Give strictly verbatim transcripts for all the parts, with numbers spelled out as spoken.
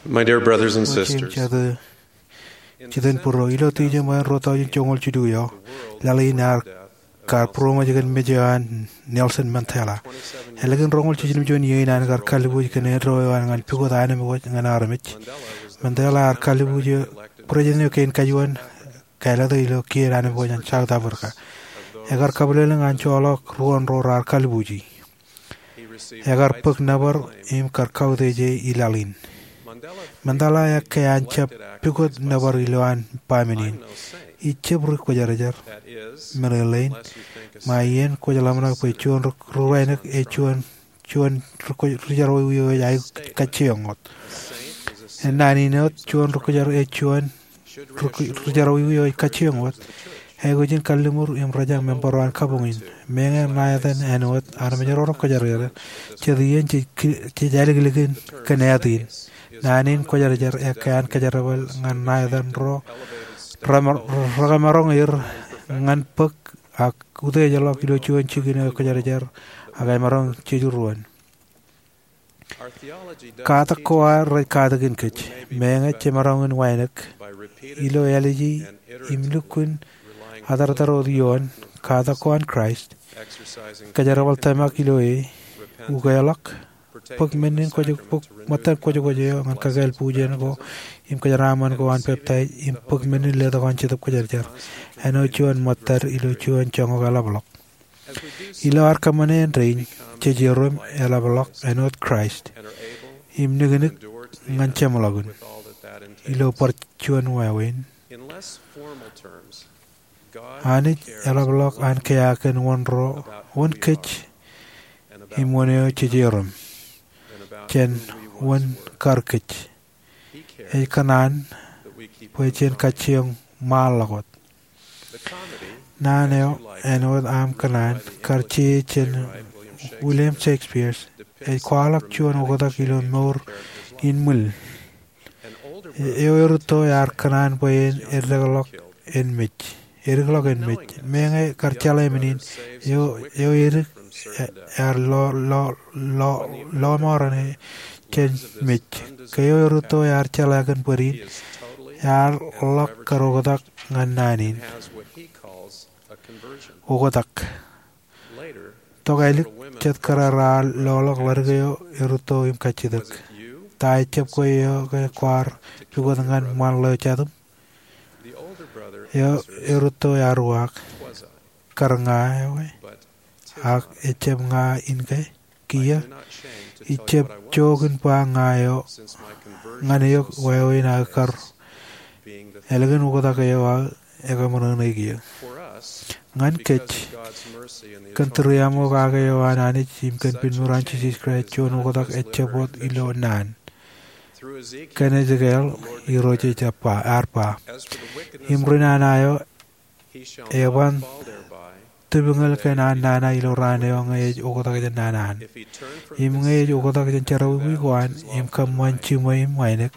My dear brothers and sisters, jitōnbōro, ilo tijeṃ eo an ruo tọujin joñoul jilu eo, laḷ in ear kar būroṃōj kōn mej eo an Nelson Mandela. Ālikin roñoul jiljilimjuon iiō in an kar kalbuuj kōn eddo eo an ñan pukot anemkwōj ñan armej, Mandela ear kalbuuj eo, President eo kein kajuon, kāālōt e ilo kien anemkwōj an South Africa. Ekar kabwilōñlōñ an joḷọk ruo ro raar kalbuuji. Ekar bōk nōbar im kar kautiej e i laḷ in. Mandela ekkā an jab pukot nōbar ilowaan baaṃle in. Ij jab ri kwōjarjar, meḷeḷein, ṃae iien kwōj ḷōmṇak bwe juon ri, ri wānōk ej juon, juon ri kwōj, ri jerọwiwi eo ej aikuj kajjioñ wōt. Ennaan in wōt, juon ri kwōjarjar ej juon ri kwōj, ri jerọwiwi eo ej kajjioñ wōt. Aikuj in kalliṃur im rōjañ member eo an kabuñ in. Meñe ṇa etan āinwōt armej ro rej kwōjarjar, jet iien jej ki-, jej āliklik in kōn āt in. Naan in kwōjarjar ekkā an kōjerbal ñan ṇa etan ro, rema-, rekamaroñ er ñan bōk ak utiejḷọk ilo juon jikin eo kwōjarjar ak emaroñ jejurruon. Katak ko ad rej katakin kōj, meñe jemaroñ in wānōk, ilo āliji im lukkuun atartar wōt ioon katak ko an Kraist, kōjerbal tōmak ilo e, ukeḷọk, bōk men in kwōj, bōk ṃōttan kwōjkwōj eo ñan kakāāl bujen ko im kōjeraaṃṃan ko an peptaij, im bōk men in letok an Jetōb Kwōjarjar, āinwōt juon ṃōttad ilo juon joñak eḷapḷọk. Ilo ad kōṃṃane āindein, jej iroñ im eḷapḷọk āinwōt Kraist im niknik ñan jeṃḷọkin. Ilo bar juon wāween, Anij eḷapḷọk an kea kōn wōn ro, wōn kōj im wōn eo jej iroñ, jān wōn kar kōj. Ej kōṇaan bwe jen kajjioñ ṃaanḷọk wōt. Naan eo āinwōt aṃ kōṇaan kar je jān William Shakespeare ej kwaḷọk juon oktak ilo mour in ṃwiin. Eo erūtto ear kōṇaan bwe en eddekḷọk en mej. Eddekḷọk en mej. Meñe kar jeḷā men in, eo, eo edik e-, ear lo, lo, lo, lọmọọren jān mej. Ke eo erūtto ear jeḷā kōn bōd in, ear ḷọk kar oktak ñan naan in. Oktak. Tok ālik, jet kōrā raar loḷọk ḷadik eo erūtto im kajjitōk. Ta ejjab kwe eo ke kwaar pukot ñan ṃaan ḷeo jatūṃ? Eo erūtto ear uwaak, kar ña eo e, ak ejjab ña in ke? Kiiō, ij jab jook in ba ña eo, ñan eok wāween aō kar, ālikin oktak eo aō ekaṃōṇōṇōik eō. Ñan kōj, kōn tūriaṃo kake eo an Anij im kōn pineṃur an Jisōs Kraist, juon oktak ejjab wōt ilo naan. Kōn Ezekiel, Irooj ej ba, ear ba, im ri nana eo, eban tipñōl kōn an nana ilo raan eo ñe ej oktak jān nana an. Im ñe ej oktak jān jerọwiwi ko an, im kōṃṃan jiṃwe im wānōk,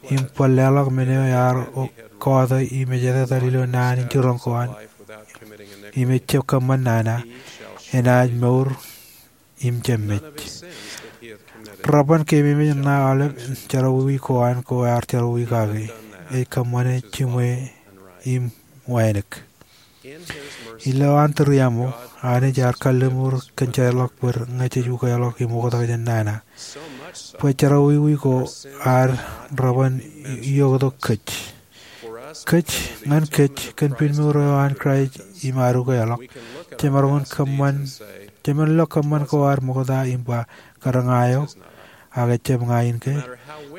im bar leḷọk men eo ear o-, kọọte im ej etetal ilo naan in jiroñ ko an, im ejjab kōṃṃan nana, enaaj mour im jab mej. Reban keememej ṇa aolep jerọwiwi ko an ko ear jerọwiwi kake, ej kōṃṃane jiṃwe im wānōk. Ilo an tūriaṃo, Anij ear kalliṃur kōn jeorḷọk bōd ñe jej ukeḷọk im oktak jān nana. Bwe jerọwiwi ko ad reban ioktok kōj. Kōj, ñan kōj, kōn pineṃur eo an Kraist im ad ukeḷọk, jemaroñ in kōṃṃan, jemān lo kōṃṃan ko ad ṃokta im ba, kar ña eo, ak ejjab ña in ke?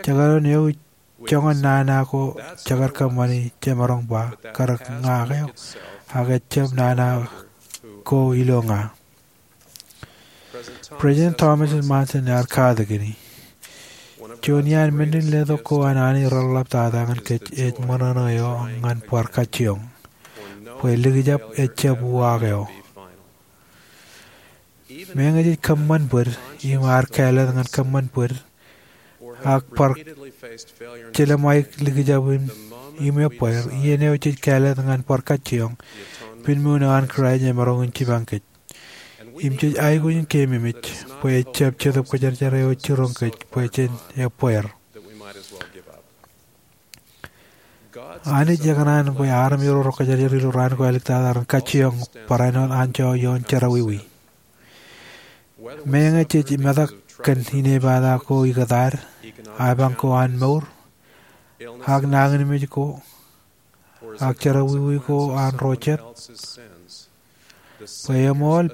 Jekdọọn ewi joñan nana ko jekar kōṃṃani, jemaroñ ba, kar ña eo, ak ejjab nana ko ilo ña. President Thomas S. Monson ear katakin, juon iaan men in letok ko an Anij reḷḷap tata ñan kōj ej ṃōṇōṇō eo ñan bar kajjioñ, bwe likjab ejjab uwaak eo. Meñe jej kōṃṃan bōd, im ar kāālōt ñan kōṃṃan bōd, ak bar jelṃaik likjab im, im ebbeer, iien eo jej kāālōt ñan bar kajjioñ, pineṃoon eo an Kraist emaroñ in jipañ kōj. Im jej aikuj in keememej, bwe ejjab Jetōb Kwōjarjar eo ej jiroñ kōj, bwe jen ebbeer. Anij ekōṇaan bwe armej ro rej kōjajar ilo raan ko āliktata ren kajjioñ barāinwōt anjọ ioon jerọwiwi. Meñe jej metak kōn inepata ko ikōtaad, apañ ko an mour, ak nañinmej ko, ak jerọwiwi ko an ro jet, bwe eṃool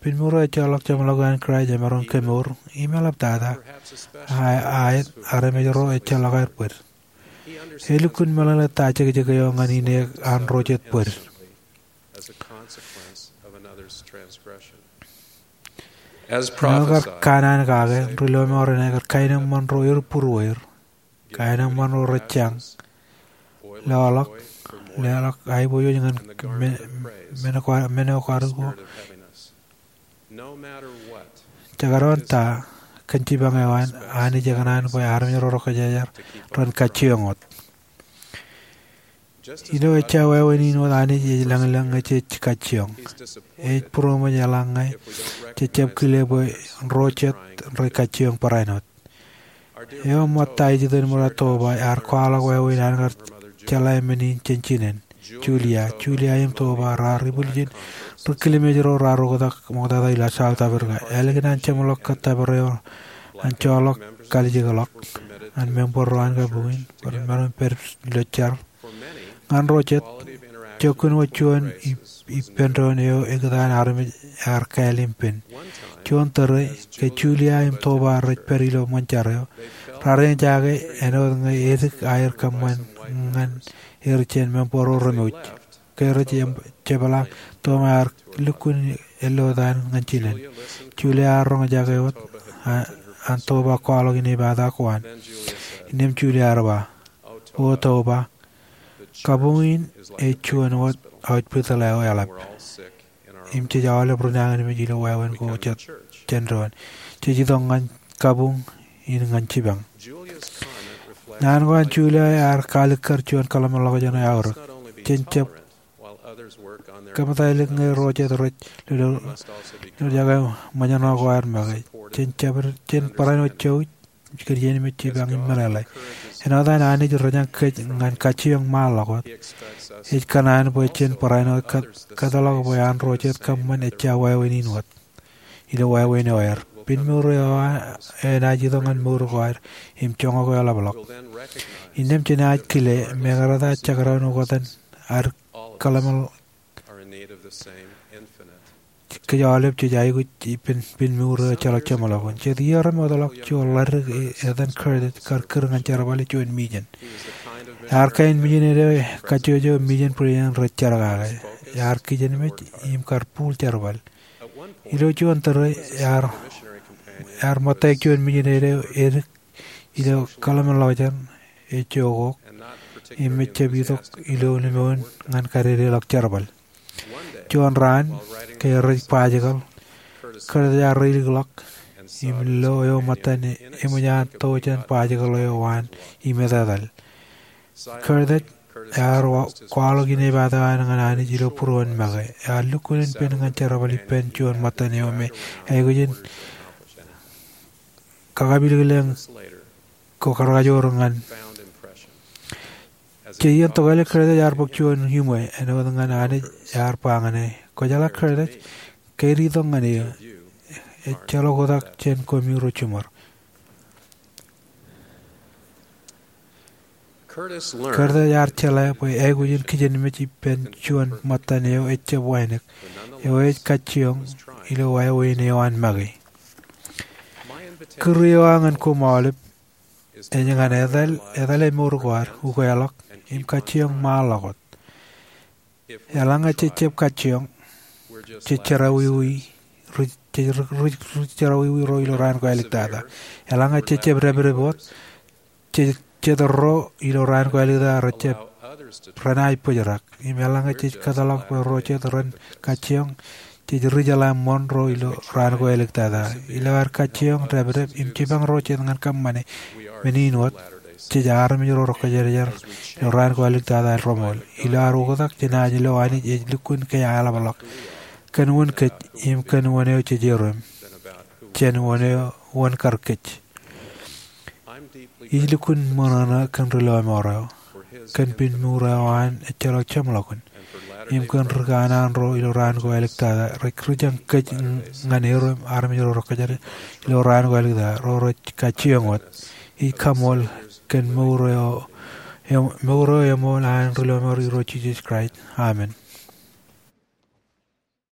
pinmuur eo ejjeḷọk jeṃḷọkin Kraist emaroñ kemour im eḷaptata aet armej ro ejjeḷọk aer bōd. Elukkuun meḷeḷe ta jekjek eo ñan ineek an ro jet bōd. Āinwōt kar kanaan kake, ri-lọmọọren aer kar kaenōṃṃan ro er būrueir, kaenōṃṃan ro rej jañ, loḷọk, leḷọk aiboojoj ñan men ko, men ko ad ko. Jekdọọn ta kōn jipañ eo an, Anij ekōṇaan bwe armej ro rej kōjajar ren kajjioñ wōt. Ilo ejja wāween in wōt, Anij ej lañlōñ ñe jej kajjioñ. Ej būroṃōj eḷaññe jej jab kile bwe ro jet rej kajjioñ barāinwōt. Eo ṃōtta ej itok ṃōrā Toba ear kwaḷọk wāween an kar jeḷā men in jān jinen. Julia, Julia im Toba raar ibwiljin ri-kilmej ro raar oktak ṃoktata ilo South Africa. Ālikin an jeṃḷọk kōttōpar eo an joḷọk kalijekḷọk ñan member ro an kabuñ in bwe ren maroñ pād ilo jar. Ñan ro jet, jokkun wōt juon ippān doon eo ekōtaan armej ear kāāl im pen. Juon tōre, ke Julia im Toba rej pād ilo ṃōn jar eo, raar eñjake āinwōt ñe edik aer kōṃṃan ñan er jān member ro remouj. Ke rej jepḷaak, Toba ear lukkuun ellotaan ñan jinen. Julia ear roñjake wōt an Toba kwaḷọk inepata ko an. Innām Julia ear ba, O Toba, kabuñ in ej juon wōt hospital eo eḷap. Im jej aolep ri nañinmej ilo wāween ko jān doon. Jej itok ñan kabuñ in ñan jipañ. Naan ko an Julia ear kalikkar juon kōḷmānḷọkjeṇ eo eaorōk. Jen jab kōmtailik ñe ro jet rej lolorjake ṃōjṇọ ko aer make. Jen jab, jen barāinwōt jouj kōn iien in jipañ im meḷeḷe. Āinwōt an Anij rejañ kōj ñan kajjioñ ṃaanḷọk wōt, ej kōṇaan bwe jen barāinwōt kōtḷọk bwe an ro jet kōṃṃan ejja wāween in wōt. Ilo wāween eo aer, pinmuur eo enaaj itok ñan mour ko ad im joñak eo eḷapḷọk. Innām jenaaj kile mekarta jekdọọn oktak ad kōḷmānḷọkjeṇ. Kōj aolep jej aikuj ippān pinmuur eo ejjeḷọk jeṃḷọkin. Jet iiō remootḷọk, juon ḷaddik etan Curtis kar kūr ñan jerbal ilo juon mijen. Ear kain mijinede kajjojo mijen Berean rej jar kake. Ear kijenmej im kar būḷ jerbal. Ilo juon tōre ear ṃōttaik juon mijinede edik ilo kōḷmānḷọkjeṇ ejjookok im ejjab itok ilo limoun ñan kadedeḷọk jerbal. Juon raan, ke rej bajjekōḷ, Curtis ear reilikḷọk im lo eo ṃōttan eṃōj an to jān bajjekōḷ eo an im etetal. Curtis ear kwaḷọk inepata eo an ñan Anij ilo būruon make. Ear lukkuun pen ñan jerbal ippān juon ṃōttan eo me aikuj in kakapilkile ko karkajoor ñan. Jej iien tokālik, Curtis ear bōk juon iṃwe āinwōt ñan Anij ear ba ñan e, Kwōjeḷā Curtis, ke ear itok ñan eō, ejjeḷọk oktak jān koṃiro jiṃor. Curtis ear jeḷā bwe aikuj in kijenmej ippān juon ṃōttan eo ejjab wānōk, eo ej kajjioñ ilo wāween eo an make. Kūr eo aō ñan koṃ aolep ej ñan etal, etale mour ko ad, ukeḷọk, im kajjioñ ṃaanḷọk wōt. Eḷaññe jej jab kajjioñ, jej jerọwiwi, ri-, jej ri-, ri-, ri-, jerọwiwi ro ilo raan ko āliktata. Eḷaññe jej jab dāpdep wōt, jej jet ro ilo raan ko āliktata rejjab, renaaj bōjrak. Im eḷaññe jej kōtḷọk bwe ro jet ren kajjioñ, jej ri-jeḷā ṃoṇ ro ilo raan ko āliktata. Ilo ad kajjioñ, dāpdep, im jipañ ro jet ñan kōṃṃane men in wōt, jej armej ro rej kōjerajer ilo raan ko āliktata reṃool. Ilo ad oktak, jenaaj lo Anij ej lukkuun ke eḷapḷọk kōn wōn kōj im kōn wōn eo jej erom, jān wōn eo, wōn kar kōj. Ij lukkuun ṃōṇōṇō kōn ri lọmọọr eo, kōn pen mour eo an ejjeḷọk jeṃḷọkin, im kōn ri kanaan ro ilo raan ko āliktata rej rijañ kōj ñan er im armej ro rekajjitōk ilo raan ko āliktata ro rej kajjioñ wōt. Ij kaṃṃoolol kōn mour eo, mour eo eṃool an ri lọmọọr Irooj Jisōs Kraist. Amen.